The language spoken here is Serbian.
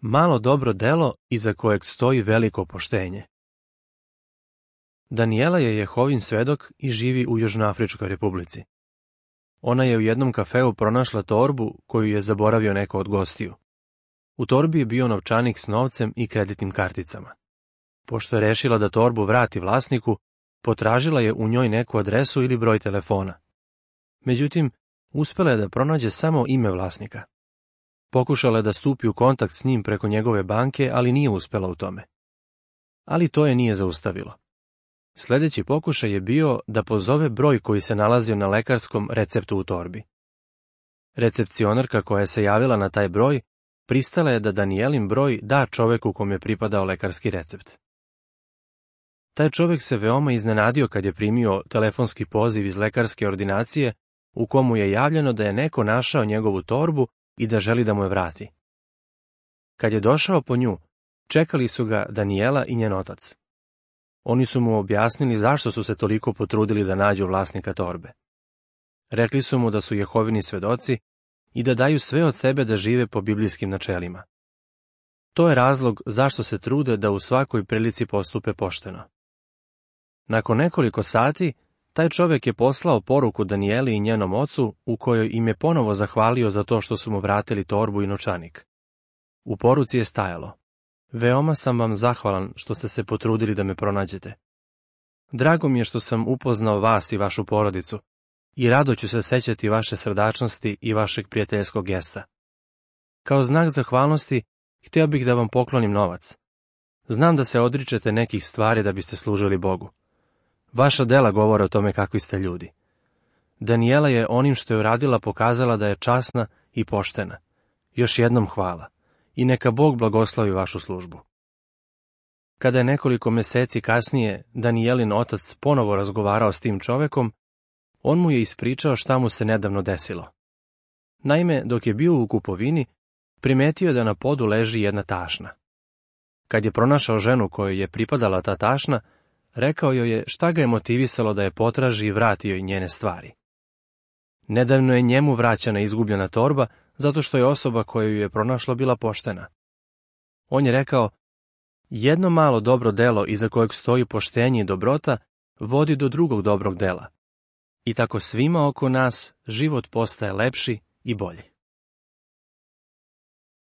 Malo dobro delo iza kojeg stoji veliko poštenje. Danijela je Jehovin svedok i živi u Južnoafričkoj republici. Ona je u jednom kafeu pronašla torbu koju je zaboravio neko od gostiju. U torbi je bio novčanik s novcem i kreditnim karticama. Pošto je rešila da torbu vrati vlasniku, potražila je u njoj neku adresu ili broj telefona. Međutim, uspela je da pronađe samo ime vlasnika. Pokušala je da stupi u kontakt s njim preko njegove banke, ali nije uspela u tome. Ali to je nije zaustavilo. Sljedeći pokušaj je bio da pozove broj koji se nalazio na lekarskom receptu u torbi. Recepcionarka koja se javila na taj broj pristala je da Danijelin broj da čoveku kom je pripadao lekarski recept. Taj čovjek se veoma iznenadio kad je primio telefonski poziv iz lekarske ordinacije u komu je javljeno da je neko našao njegovu torbu i da želi da mu je vrati. Kad je došao po nju, čekali su ga Danijela i njen otac. Oni su mu objasnili zašto su se toliko potrudili da nađu vlasnika torbe. Rekli su mu da su Jehovini svedoci i da daju sve od sebe da žive po biblijskim načelima. To je razlog zašto se trude da u svakoj prilici postupe pošteno. Nakon nekoliko sati, taj čovjek je poslao poruku Danijeli i njenom ocu u kojoj im je ponovo zahvalio za to što su mu vratili torbu i novčanik. U poruci je stajalo: veoma sam vam zahvalan što ste se potrudili da me pronađete. Drago mi je što sam upoznao vas i vašu porodicu i rado ću se sećati vaše srdačnosti i vašeg prijateljskog gesta. Kao znak zahvalnosti, htio bih da vam poklonim novac. Znam da se odričete nekih stvari da biste služili Bogu. Vaša dela govore o tome kakvi ste ljudi. Danijela je onim što je uradila pokazala da je časna i poštena. Još jednom hvala i neka Bog blagoslovi vašu službu. Kada je nekoliko meseci kasnije Danijelin otac ponovo razgovarao s tim čovekom, on mu je ispričao šta mu se nedavno desilo. Naime, dok je bio u kupovini, primetio je da na podu leži jedna tašna. Kad je pronašao ženu kojoj je pripadala ta tašna, rekao joj je šta ga je motivisalo da je potraži i vrati joj njene stvari. Nedavno je njemu vraćana izgubljena torba zato što je osoba koju je pronašla bila poštena. On je rekao: jedno malo dobro delo iza kojeg stoji poštenje i dobrota vodi do drugog dobrog dela. I tako svima oko nas život postaje lepši i bolji.